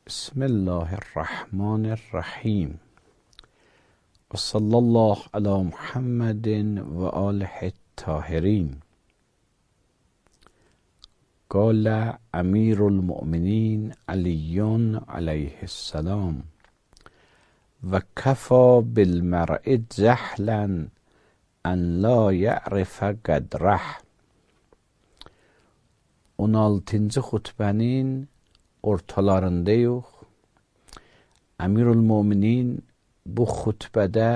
بسم الله الرحمن الرحیم و صلی الله علی محمد و آله الطاهرین. قال امیر المؤمنین علی علیه السلام و کفی بالمرء جهلا ان لا یعرف قدره. 16-cı xutbənin ortalarındayıq. Əmirül-Möminin bu xutbədə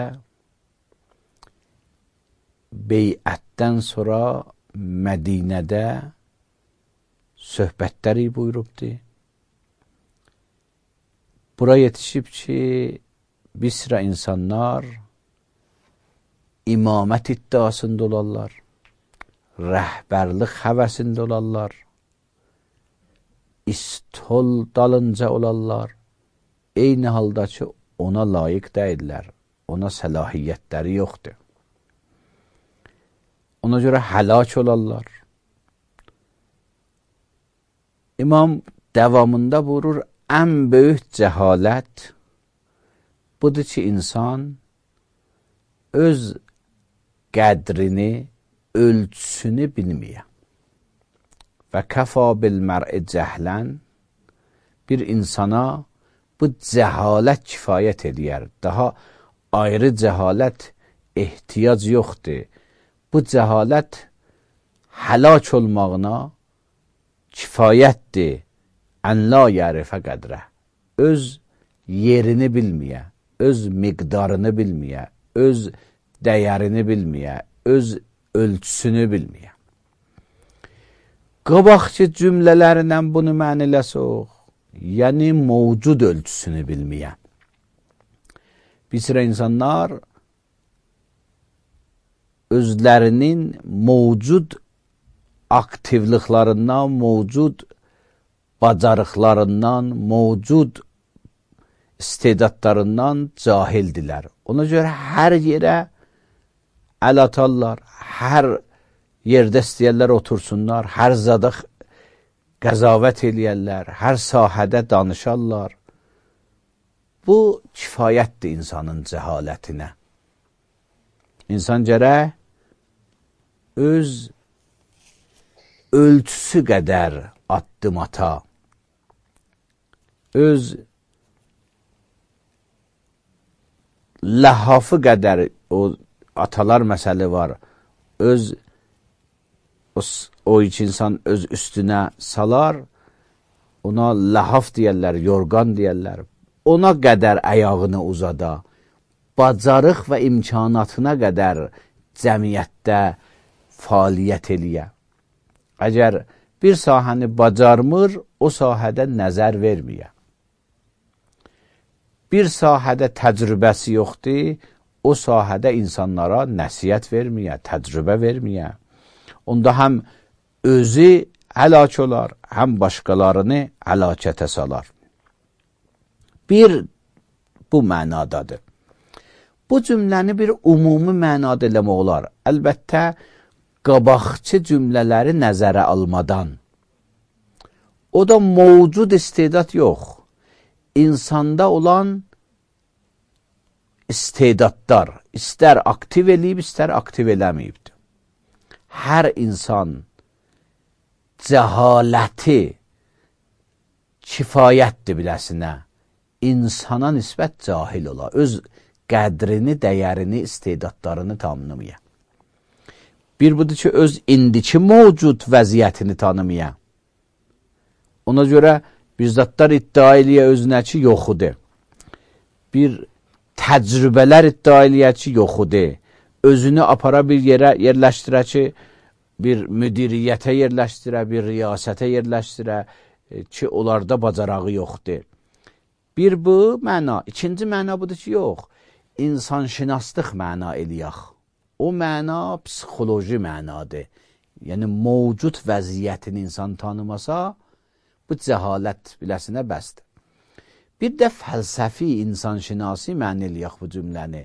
beyətdən sonra Mədinədə söhbətləri buyurubdur. Bura yetişib ki, bir sıra insanlar imamət iddiasında olarlar, rəhbərlik həvəsində olarlar, istol dalınca olarlar. Eyni halda ki, ona layiq deyirlər, ona səlahiyyətləri yoxdur. Ona görə həlak olarlar. İmam davamında buyurur, ən böyük cəhalət budur ki, insan öz qədrini, ölçüsünü bilməyə. Və kəfa bil mər'i cəhlən, bir insana bu cəhalət kifayət edər. Daha ayrı cəhalət ehtiyac yoxdur. Bu cəhalət həlak olmağına kifayətdir. Ən la yərifə qədrə. Öz yerini bilməyə, öz miqdarını bilməyə, öz dəyərini bilməyə, öz ölçüsünü bilməyə. Qabaqçı cümlələrlə bunu məniləsək, yəni mövcud ölçüsünü bilməyə. Bir sıra insanlar özlərinin mövcud aktivliklərindən, mövcud bacarıqlarından, mövcud istedadlarından cahildilər. Ona görə hər yerə əl atarlar, hər yerdə istəyərlər otursunlar, hər zada qəzavət eləyərlər, hər sahədə danışarlar. Bu kifayətdir insanın cəhalətinə. İnsan gərək öz ölçüsü qədər addım ata, öz ləhafı qədər, o atalar məsələ var, öz o iki insan öz üstünə salar, ona ləhaf deyərlər, yorğan deyərlər, ona qədər əyağını uzada, bacarıq və imkanatına qədər cəmiyyətdə fəaliyyət eləyə. Əgər bir sahəni bacarmır, o sahədə nəzər verməyə. Bir sahədə təcrübəsi yoxdur, o sahədə insanlara nəsiyyət verməyə, təcrübə verməyə. Onda həm özü həlak olar, həm başqalarını həlakətə salar. Bir, bu mənadadır. Bu cümləni bir ümumi mənada eləmək olar. Əlbəttə, qabaqçı cümlələri nəzərə almadan. O da mövcud istedad yox. İnsanda olan istedadlar, istər aktiv eləyib, istər aktiv eləməyibdir. Hər insan cəhaləti kifayətdir biləsinə, insana nisbət cahil ola, öz qədrini, dəyərini, istedadlarını tanımaya. Bir budur ki, öz indiki mövcud vəziyyətini tanımaya. Ona görə bir zatlar iddia eləyə özünə ki, yoxudur. Bir təcrübələr iddia eləyə ki, yoxudur. Özünü apara bir yerə yerləşdirə ki, bir müdiriyyətə yerləşdirə, bir riyasətə yerləşdirə ki, onlarda bacarağı yoxdur. Bir bu məna. İkinci məna budur ki, yox. İnsanşünaslıq məna eləyək. O məna psixoloji mənadır. Yəni, mövcud vəziyyətini insan tanımasa, bu cəhalət biləsinə bəsdir. Bir də fəlsəfi insanşinasi məna eləyək bu cümləni.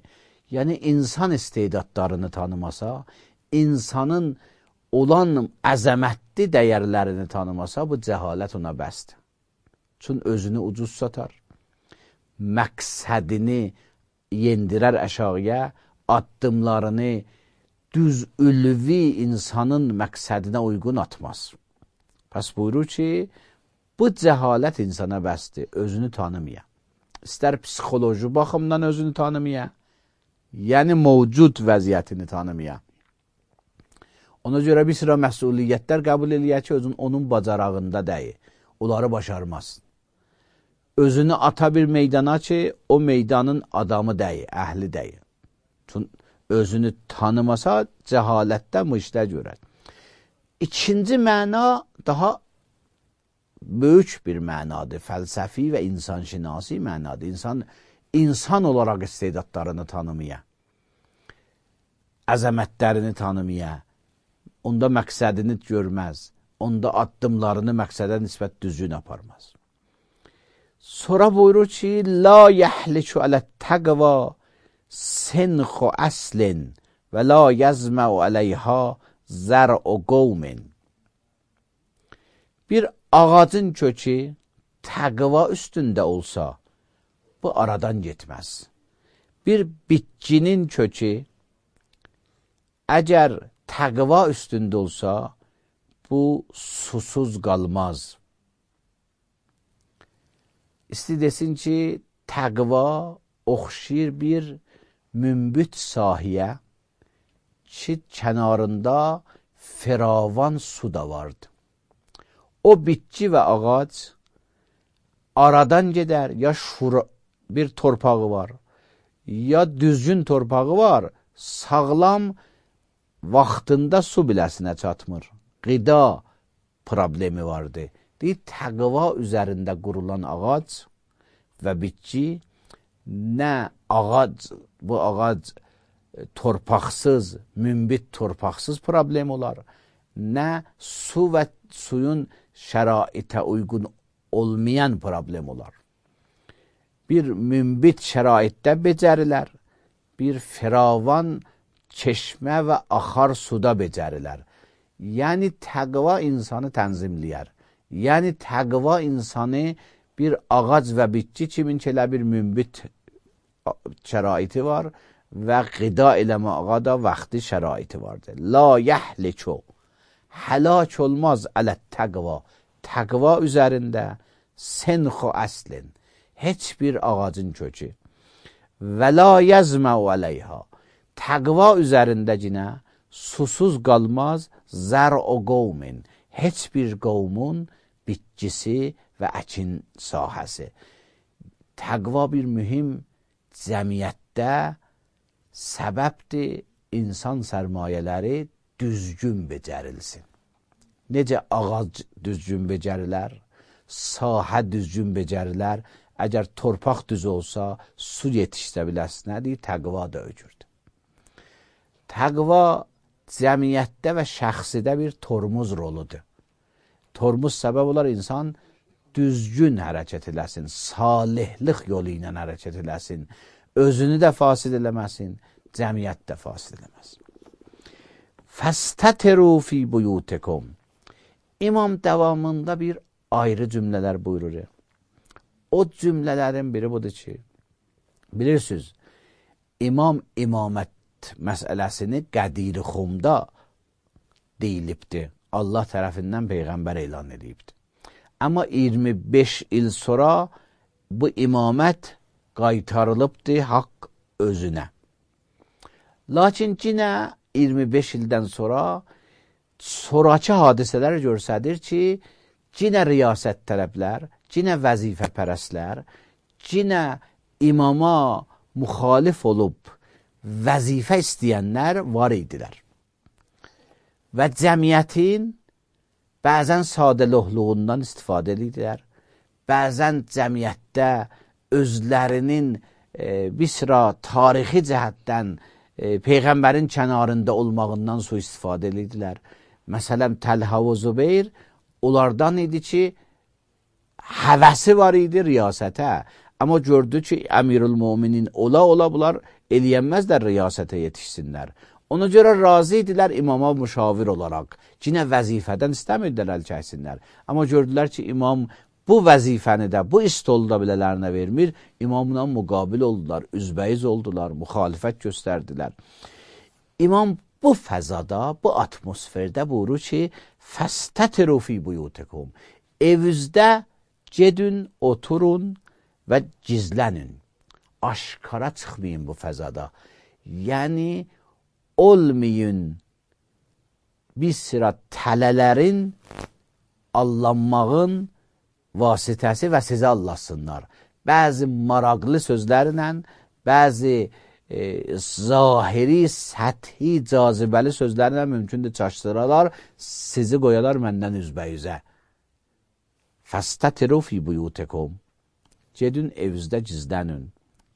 Yəni, insan istedadlarını tanımasa, insanın olan əzəmətli maddi dəyərlərini tanımasa, bu cəhalət ona bəsdir. Çün özünü ucuz satar, məqsədini yendirər əşağıya, addımlarını düz ülvi insanın məqsədinə uyğun atmaz. Pəs buyurur ki, bu cəhalət insana bəsdir, özünü tanımaya. İstər psixoloji baxımdan özünü tanımaya, yəni mövcud vəziyyətini tanımaya. Ona görə bir sıra məsuliyyətlər qəbul eləyək ki, onun bacarağında deyil, onları başarmaz. Özünü ata bir meydana ki, o meydanın adamı deyil, əhli deyil. Çünki özünü tanımasa, cəhalətdən bu işlər görər. İkinci məna daha böyük bir mənadır, fəlsəfi və insanşinasi mənadır. İnsan olaraq istedadlarını tanımaya, əzəmətlərini tanımaya, onda məqsədini görməz, onda addımlarını məqsədə nisbət düzgün aparmaz. Sonra buyurur ki, la yəhlikü alət təqva sinxu əslin və la yəzməu əleyha zər'u qovmin. Bir ağacın kökü təqva üstündə olsa, bu aradan getməz. Bir bitkinin kökü əgər təqva üstündə olsa, bu susuz qalmaz. İsti desin ki, təqva oxşayır bir mümbit sahiyə ki, kənarında firavan su da vardı. O bitki və ağac aradan gedər, ya bir torpağı var, ya düzgün torpağı var, sağlam vaxtında su biləsinə çatmır. Qida problemi vardı. Deyir, təqva üzərində qurulan ağac və bitki, nə ağac, bu ağac torpaqsız, mümbit torpaqsız problem olar, nə su və suyun şəraitə uyğun olmayan problem olar. Bir mümbit şəraitdə becərilər, bir firavan çeşmə və axar suda becərilər. Yəni təqva insanı tənzimləyər. Yəni təqva insanı bir ağac və bitki kimin ki elə bir mümbit şəraiti var və qida eləməyə da vaxtı şəraiti vardır. La yəhlikü, həlak olmaz ələt təqva, təqva üzərində sinxu əslin, heç bir ağacın kökü və la yəzməu əleyha, təqva üzərində cinə susuz qalmaz zər'u qovmin, heç bir qovmun bitkisi və əkin sahəsi. Təqva bir mühüm cəmiyyətdə səbəbdir, insan sərmayələri düzgün becərilsin. Necə ağac düzgün becərilər, sahə düzgün becərilər, əgər torpaq düz olsa, su yetişsə biləsinədir, təqva da öcürdür. Təqva cəmiyyətdə və şəxsidə bir tormuz roludur. Tormuz səbəb olar insan düzgün hərəkət eləsin, salihlik yolu ilə hərəkət eləsin, özünü də fasid eləməsin, cəmiyyət də fasid eləməsin. Fəstətiru fi buyutikum. İmam davamında bir ayrı cümlələr buyurur. O cümlələrin biri budur ki, bilirsiniz, imam imamət məsələsini Qədir Xumda deyilibdir. Allah tərəfindən Peyğəmbər elan edibdir. Amma 25 il sonra bu imamət qaytarılıbdır haqq özünə. Lakin yenə 25 ildən sonra sonraki hadisələr görsədir ki, yenə riyasət tələblər, yenə vəzifə pərəslər, yenə imama müxalif olub vəzifə istəyənlər var idilər. Və cəmiyyətin bəzən sadəlövhlüğündən istifadə edirlər, bəzən cəmiyyətdə özlərinin bir sıra tarixi cəhətdən Peyğəmbərin kənarında olmağından su istifadə edirlər. Məsələn, Təlhə və Zübeyir onlardan idi ki, həvəsi var idi riyasətə. Amma gördü ki, Əmirül Müminin ola bunlar eləyənməzlər riyasətə yetişsinlər. Ona görə razı idilər imama müşavir olaraq. Yine vəzifədən istəmirdilər əl çəksinlər. Amma gördülər ki, imam bu vəzifəni də, bu istolu da bilələrinə vermir. İmamla müqabil oldular, üzbəyiz oldular, müxalifət göstərdilər. İmam bu fəzada, bu atmosferdə buyurur ki, fəstətiru fi buyutikum. Evinizdə gedin, oturun və gizlənin. Aşkara çıxmayın bu fəzada. Yəni, olmayın bir sıra tələlərin allanmağın vasitəsi və sizi allasınlar. Bəzi maraqlı sözlərlə, bəzi zahiri, səthi, cazibəli sözlərlə mümkündür çaşdıralar, sizi qoyalar məndən üzbəyüzə. Fəstətiru fi buyutikum. Gedin evinizdə gizlənin.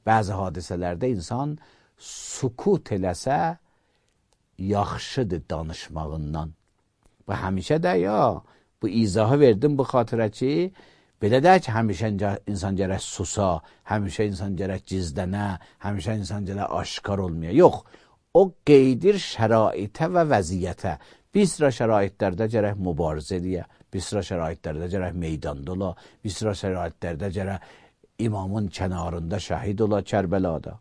Bəzi hadisələrdə insan sukut eləsə, yaxşıdır danışmağından. Və həmişə də bu izahı verdim bu xatirə ki, belə də ki, həmişə insan gərək susa, həmişə insan gərək gizlənə, həmişə insan gərək aşkar olmaya. Yox, o qeydir şəraitə və vəziyyətə. Bir sıra şəraitlərdə gərək mübarizə eləyə, bir sıra şəraitlərdə gərək meydanda ola, bir sıra şəraitlərdə gərək imamın kənarında şəhid ola Kərbəlada.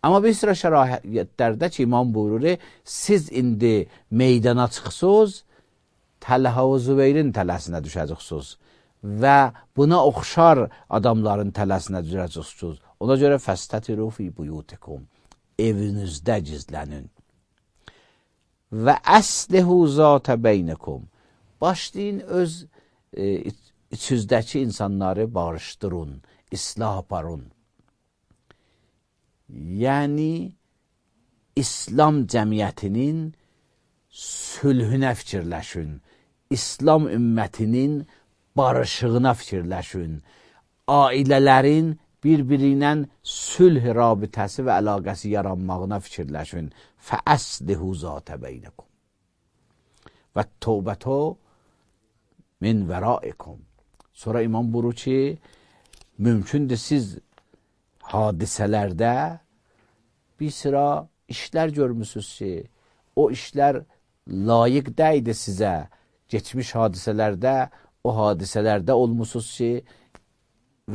Amma bir sıra şəraitlərdə ki, imam buyurur, siz indi meydana çıxsınız, Təlhə və Zübeyrin tələsinə düşəcəksiniz və buna oxşar adamların tələsinə düşəcəksiniz. Ona görə fəstətiru fi buyutikum. Evinizdə gizlənin. Və əslihu zətə beynikum. Başlayın öz içinizdəki insanları barışdırın, islah aparın. Yəni, İslam cəmiyyətinin sülhünə fikirləşin, İslam ümmətinin barışığına fikirləşin, ailələrin bir-biri ilə sülh rabitəsi və əlaqəsi yaranmağına fikirləşin. Fəəslihu zətə beynikum. Və tövbətə min vəraikum. Sonra imam buyurur ki, mümkündür siz hadisələrdə bir sıra işlər görmüsünüz ki, o işlər layiq deydi sizə. Geçmiş hadisələrdə, o hadisələrdə olmuşsunuz ki,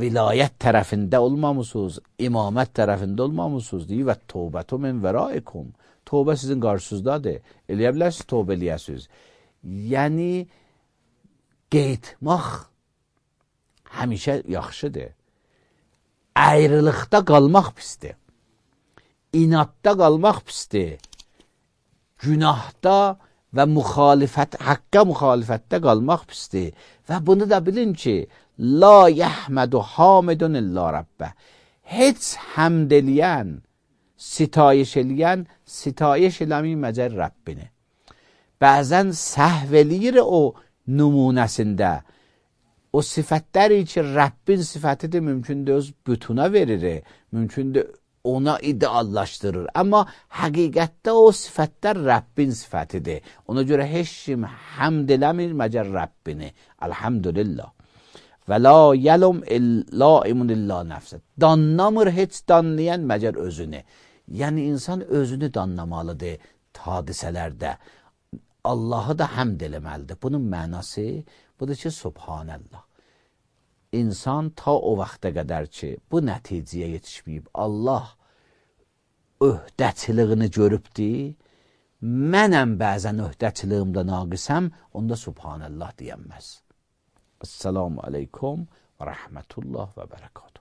vilayət tərəfində olmamışsınız, imamət tərəfində olmamışsınız. Deyir, və tövbətü min vəraikum. Tövbə sizin qarşınızdadır. Eləyə bilərsiniz, tövbə eləyəsiniz. Yəni, qeytmaq həmişə yaxşıdır. Ayrılıqda qalmaq pisdir. İnatda qalmaq pisdir. Günahda və haqqa müxalifətdə qalmaq pisdir. Və bunu da bilin ki, la yəhmədu hamidun illa Rabbə. Heç həmd eləyən, sitayiş eləyən, sitayiş eləmir məcər Rəbbini. Bəzən səhv eləyir o nümunəsində. O sifətləri ki, Rəbbin sifətidir, mümkündür öz bütuna verir, mümkündür ona ideallaşdırır. Amma həqiqətdə o sifətlər Rəbbin sifətidir. Ona görə heç kim həmd eləmir məcər Rəbbini. Elhamdülillah. Və la yəlum illaimun illa nəfsə. Danlamır heç danlayan məcər özünü. Yəni insan özünü danlamalıdır hadisələrdə. Allahı da həmd eləməlidir. Bunun mənası budur ki, Subhanallah. İnsan ta o vaxta qədər ki, bu nəticəyə yetişməyib, Allah öhdəçiliyini görübdir, mənəm bəzən öhdəçiliyimdə naqisəm, onda Subhanallah deyənməz. Esselamu aleykum və rəhmətullah və bərəkatuhu.